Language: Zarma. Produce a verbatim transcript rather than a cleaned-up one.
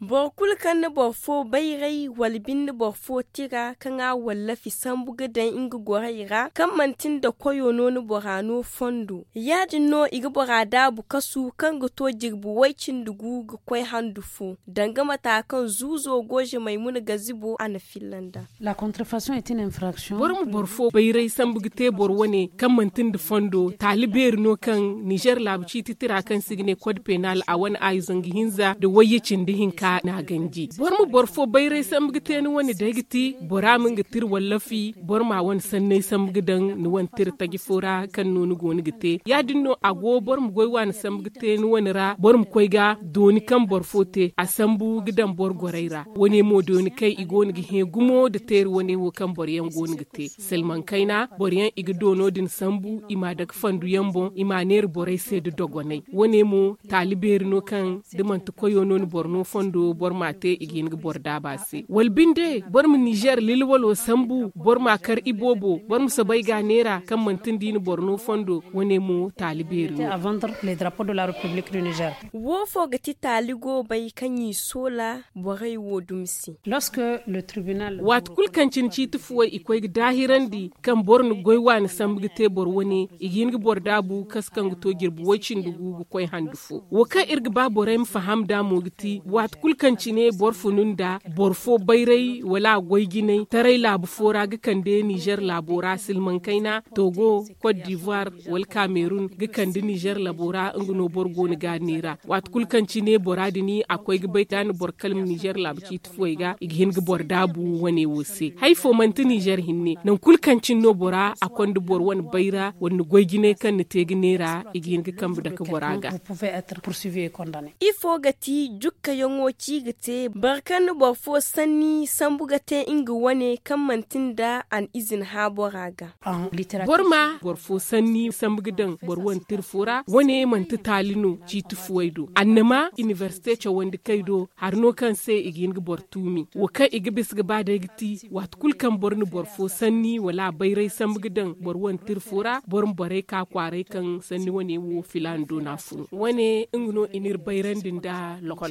Boro kulu kaŋ na boro fo bayray wala binde boro fo tira kaŋ a wallafi sambu ga daŋ nga gorey ra kaŋ manti nda koyo no ni bora no fondo. Ya- din no i ga bora daabu kasu kaŋ ga to jirbi way- cindi gu ga koy handu fo, danga mata kaŋ zuuzo gooze maymuna gazibo a na filla nd'a. Boro ma boro fo bayray sambu ga te boro wane kaŋ manti nda fondo taali beeri no kaŋ nizer laabu ciiti tira kaŋ se i ga ne kod penal a wane aayi zangu hinza nda wayye cindi hinka no a ganji. Boro ma boro fo bayray sambu ga te ni wane day ga ti bora ma nga tira wallafi boro ma a wane sanney sambu ga daŋ ni wane tira taji fo ra kaŋ no ni go no ga te. Ya- din no a go boro ma goy waani sambu ga te ni wane ra boro ma koy ga dooni kaŋ boro fo te a sambu ga daŋ boro gorey ra. Wane mo dooni kaŋ i go no ga hẽ gumo nda teeri wane wo kaŋ boro yaŋ go no ga te. Salmaŋ kayna boro yaŋ i ga doono din sambu i m'a dake fandu yaŋ boŋ i m'a neera borey se nda dogonay. Wane mo taali beeri no kaŋ da manti koyo no ni boro no fondo boro m'a te i ga hin ga boro daaba se wala binde boro ma nizer lilwalo sambu boro m'a kar iboobo boro ma soobay ga a neera kaŋ manti nda i na boro no fondo. Wane mo taali beeri no. Wo fo ga ti taali goobay kaŋ i soola borey wo dumi se. Waati kulu kaŋ cine ciiti fuwey i koy ga daahirandi kaŋ boro na goy waani sambu ga te boro wane i ga hin ga boro daabu kasu kaŋ ga to jirbi way- cindi gu ga koy handu fo. Wo kaŋ iri ga ba borey ma faham nd'a mo ga ti waati kulu kaŋ cine boro funu nda boro fo bayray wala a goy jinay taray laabu fo ra ga kande nizer laabo ra silmaŋ kayna togo, kot divuwar, wala kamerun ga kande nizer laabo ra nga no boro go no ga a neera. Waati kulu kaŋ cine bora din a koy ga bay da a na boro kalma nizer laabu ciiti fuwey ga i ga hin ga boro daabu wane wo se hari fo manti nizer hinne nangu kulu kaŋ cine no bora a konda boro wane bayra wala ni goy jinay kaŋ ni te ga neera i ga hin ga kambe dake bora ga. Ifo ga ti jukkayaŋo ci ga te boro kaŋ na boro fo sanni sambu ga te nga wane kaŋ manti nda a na izina hã bora ga? Boro ma boro fo sanni sambu ga daŋ boro wane tira fo ra wane manti taali no ciiti fuwey do annama inibersite cawandi kay do hari no kaŋ se i ga hin ga boro tuumi wo kaŋ i ga bisa ga ba day ga ti waati kulu kaŋ boro na boro fo sanni wala a bayray sambu ga daŋ boro wane tira fo ra boro ma borey ka kwaaray kaŋ sanni wane wo filaana do no a funu wane nga no i n'iri bayrandi nda lokol.